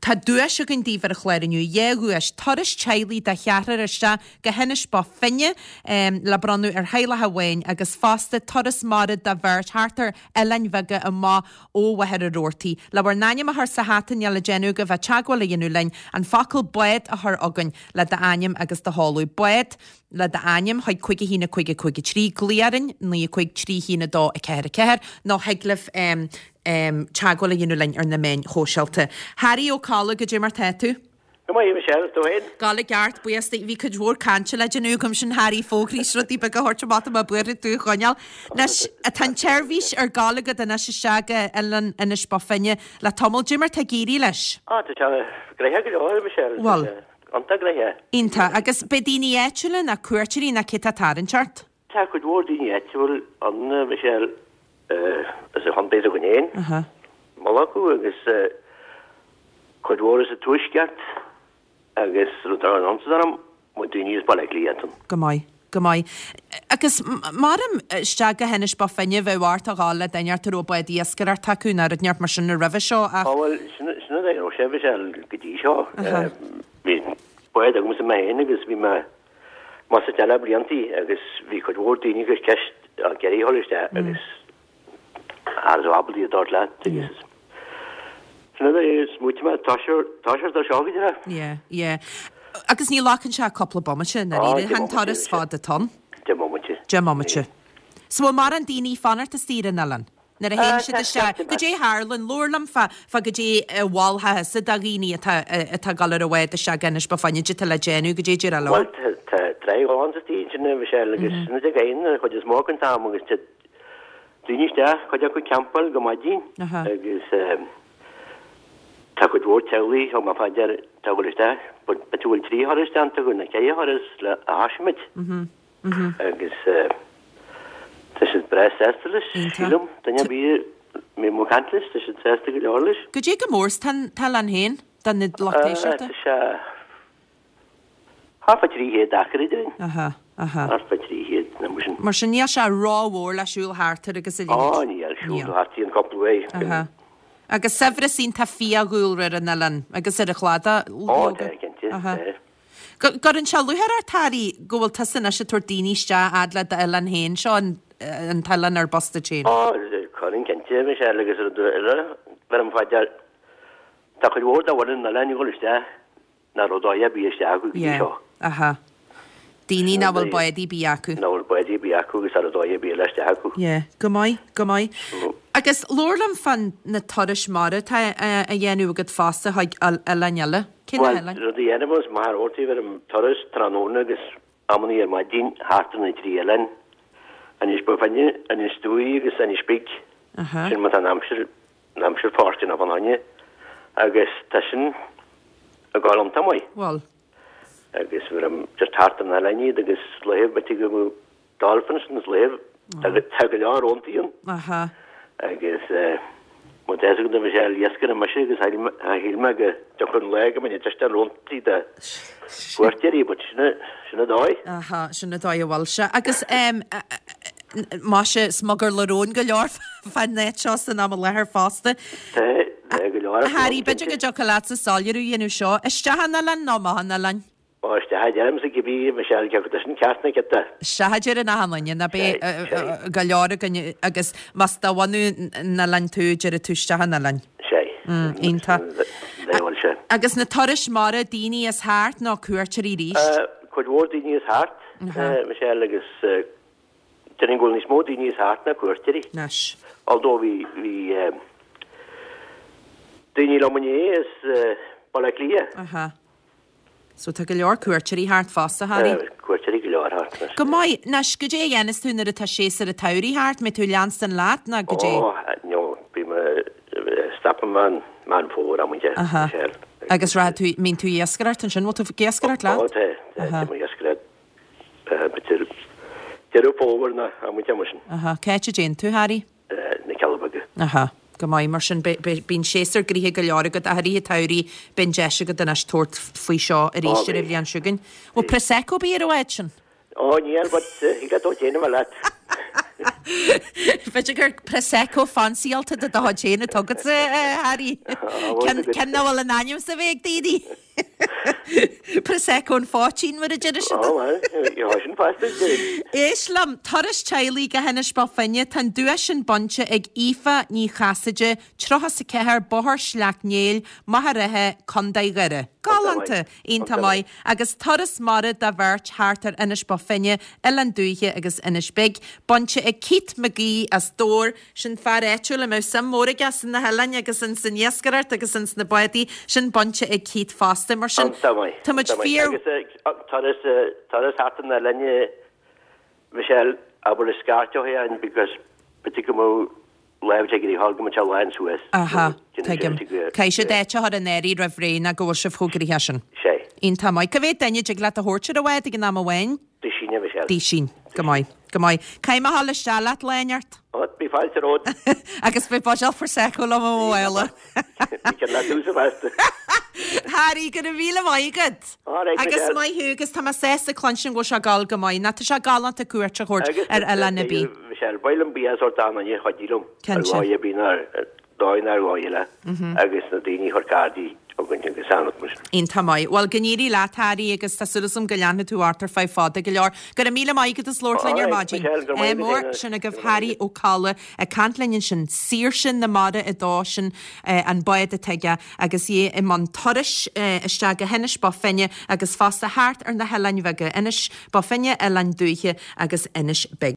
Tá duais againn daoibh ar an chlár inniu, dhá dhuais, turas teaghlaigh de cheathrar isteach go hInis Bó Finne le bronnadh ar theaghlach amháin agus fosta turas mara do bheirt thart ar oileáin bheaga amach ó Mhachaire Rabhartaigh. Le bhur n-ainm a chur sa hata níl le déanamh agaibh ach teagmháil a dhéanamh linn, an focal 'bád' a chur chugainn le d'ainm agus do sheoladh. Bád le d'ainm chuig 5 1 5 5 3, glaoch orainn 9 5 3 1 2 4 4 nó thig libh teagmháil a dhéanamh linn ar na meáin shóisialta. Harry Ó Colla, goidé mar tá tú? Go maith, a Michelle, tú féin? Gabháil i gceart, buíochas duit. Bhí cuid mhór cainte le déanamh agam sin, Harry, fógraí is rudaí beaga a thabhairt amach, tá mé buartha tú a choinneáil. Anois, tá an tseirbhís ar gabháil agat anois isteach go Oileán Inis Bó Finne le tamall. Goidé mar tá ag éirí leis? Ah, tá sé gnoitheach go leor, a Michelle. Bhfuil? Iontach gnoitheach. Iontach. Agus beidh daoine áitiúla ná cuairteoirí ná cé tá ag tarraingt ort? Tá cuid mhór daoine áitiúil ann, a Michelle, as an chontae s'againn féin, moladh acu agus cuid mhór as an tuaisceart agus rud ar an ionsaí orm, mo daoine as Baile Átha Cliath ann. Go maith, go maith. Agus maram isteach go hInis Bó Finne bheadh ort a ghabháil le duine ort a raibh bád iascaireachta acu nó rud inteacht mar sin roimhe seo ach. Á bhuel, sin sin an dóigh a raibh sé, Michelle, go dtí seo. Bhí bád agamsa mé féin agus bhí mé Más ea le bliantaí agus bhí cuid mhór daoine ag cur ceist á iarraidh a dhul isteach agus cha raibh ábalta iad a thabhairt leat agus sin é smaoitigh mé toiseacht ar seo go deireadh. Yeah, yeah. Agus ní ghlacann sé ach cúpla bomaite, i ndáiríre, chan turas fada atá ann. Deich mbomaite. Deich mbomaite. So bhfuil mórán daoine ag fanacht istigh ar an oileán? Nuair a théann siad isteach, goidé a tharlann, labhair liom fá, fá goidé a mholfá thusa do dhaoine atá, atá ag dul ar an bhád isteach go Inis Bó Finne, goidé atá le déanamh, goidé a déarfá leo. Bhuel, tá, tá tráigh ghalánta istigh ansin a Mhichelle agus sin iad ag éin an chuid is mó den t-am agus tá daoine isteach, cuid acu ag campáil go maidin agus tá cuid mhór teaghlaigh thug mé fá dear atá ag dul isteach, but b'fhéidir go bhfuil trí thuras déanta acu nó ceithre thuras le a thosaigh muid. Agus tá siad breá sásta leis, sílim. Duine ar bith a mbím ag caint leis, tá siad sásta go leor leis. Goidé chomh mór is tá an t-oileán féin don lucht éisteachta? Tá sé thart fá 300 acra déarfainn. Aha, aha. Thart fá 300, nó mar sin. Mar sin níl sé rómhór le siúl thart air agus a leithéid. Ó, níl, siúl thart aon cúpla uair. Aha. Agus saibhreas iontach fiadhúlra ar an oileán agus ar an chladach. Ó, tá, cinnte, tá. Go gcuireann sé lúcháir ort, Harry, go bhfuil tusa anois ag tabhairt daoine isteach fhad le d'oileán féin, seo an an t-oileán ar bus duit féin. Ó, cuireann cinnte, Michelle, agus rud eile, bheirim fá dear, tá cuid mhór de bhunadh an oileáin ag dul isteach nach raibh dóigh ar bith isteach acu go dtí Yeah, seo. aha. Daoine nach bhfuil bádaí ar bith acu. Nach bhfuil bádaí ar bith acu agus cha raibh dóigh ar bith le isteach acu. Yeah, go maith, go maith. Agus labhair liom fá na turais mara atá á dhéanamh agat fosta chuig oileáin eile. Cé na Bhuel, hoileáin? rud a dhéanaim is Machaire Rabhartaigh bheirim turas tráthnóna agus amannaí ar maidin thart ar na trí oileán, Inis Bó Finne, Inis Dúi agus Inis Big. Aha. Sin má tá an aimsir, an aimsir fóirsteanach fán choinne agus tá sin ag gabháil iontach maith. Bhuel. Agus bheirim just thart ar na hoileáin iad agus laethe b'fhéidir go Dolphins na laethe tá go leor róntaí ann. Aha. Agus má tá fhios agat bhí sé iascaire mise agus shíl mé go dtiocfadh an lá go mbeinn ag deistean róntaí do chuairteoirí but sin sin an dóigh. Aha, sin an dóigh a bhfuil sé. Agus maise smugairle róin go leor fán áit seo san am i láthair fosta. Tá, tá go leor. Harry, b'fhéidir go dtiocfadh leatsa soiléiriú a dhéanamh seo. Isteach an oileán nó amach an oileáin? Ó, isteach a deirimse cibé, Michelle, cé acu tá sin ceart nó ciot. Isteach a deireann achan duine, ná beidh go leor againn agus más de bhunadh an oileáin tú, déarfaidh tú isteach an oileáin. Sea. Iontach. Bhuel, sea. Agus na turais mara, daoine as thart nó cuairteoirí arís? Cuid mhór daoine as thart, Michelle, agus déarfainn go bhfuil níos mó daoine as thart ná cuairteoirí. Anois. Although bhí, bhí daoine liom inné as Baile Átha Cliath. Aha. So tá go leor cuairteoirí thart fosta, Harry. Tá cuairteoirí go leor thart anois. Go maith. Anois, goidé a dhéanas tú nuair atá séasúr an tsamhraidh thart? Mbeidh tú ag leanstan leat nó goidé? Ó, no, bím, stopann mé an Meán Fómhair amanta, Aha. Michelle. Agus rachaidh tú, mbíonn tú ag iascaireacht ansin, bhfuil tú ag iascaireacht leat? Ó, tá, tá, tá mé ag iascaireacht, b'fhéidir Deireadh Fómhair nó amanta mar sin. Aha. Cá háit a dtéann tú, Harry? na Cealla Beaga. Aha. Go maith, mar sin bíonn séasúr gnoitheach go leor agat ach i rith an tsamhraidh beidh an deis agat anois tabhairt faoi seo arís ar an bhliain seo chugainn. Bhfuil Prosecco ar bith ar an bhád sin? Ó níl, but thig leat dul déanamh leat. B'fhéidir gur Prosecco fancyáilte de do chuid féin atá agatsa, a Harry. Ceann nach bhfuil in ainm is a bheith ag daoine. Prosecco an phoitín, mar a deir siad. Ó, bhuel, gheobhaidh sin fosta, deir. Éist liom, turas teaghlaigh go hInis Bó Finne, tá an duais sin bainte ag Aoife Ní Chasaide, 34, Bóthar Shleacht Néill, Machaire Rátha, Co. Dhoire. Galánta! Iontach maith. Agus turas mara do bheirt thart ar Inis Bó Finne, Oileán Dúiche agus Inis Big, bainte ag Keith McGee as Dobhar, sin fear áitiúil a mbeadh suim mhór aige sna hoileáin agus ins an iascaireacht agus ins na bádaí, sin bainte ag Keith fosta. Mar sin, Iontach maith. tá muid Iontach maith. fíor. Agus turas, turas thart ar na hoileáin, Michelle, abair le scairt ó shin because b'fhéidir go mbeadh Lámh ag rith go mbeadh sé lán suas. Aha, tuigim. Caithfidh siad áit a chur in áirithe roimh ré nó go bhfuil sibh chomh gnoitheach sin. Sé. Iontach maith. Cá mhéad duine a dtig leat a thabhairt ar an bhád ag an am amháin? Duisín, a Mhichelle. Duisín. Go maith. Go maith. Caithfidh mé a dhul isteach leat lá inteacht. Ó, bí fáilte romhat. Agus beidh buidéal Prosecco liom i mo mhála. Bhí ceann leat thuas feasta. Harry, go raibh míle maith agat. All right, Agus Michelle. maith thú, agus tá mé sásta cluinstin go bhfuil sé ag gabháil go maith. Nó tá sé galánta cuairt a thabhairt Agus ar oileán ar bith. Michelle, ba mhaith liom buíochas a thabhairt d'aon duine a chuidigh liom ar Cinnte. dhóigh ar bith nó ar dóigh nó ar dhóigh eile agus na daoine a chuir cárdaí chugainn agus anam mar sin. Iontach maith. Bhuel, go n-éirí leat, Harry, agus tá súil agam go leanfaidh tú ort ar feadh fada go leor. Go raibh míle maith agat as labhairt linn ar All right, maidin. Michelle, go raibh maith Ádh agat mór. féin. Sin agaibh Go raibh maith Harry agat. Ó Colla ag caint linn ansin. Saoirse na Mara 2, sin an bád atá aige agus é i mbun turais isteach go hInis Bó Finne agus fosta thart ar na hoileáin bheaga, Inis Bó Finne, Oileán Dúiche agus Inis Big.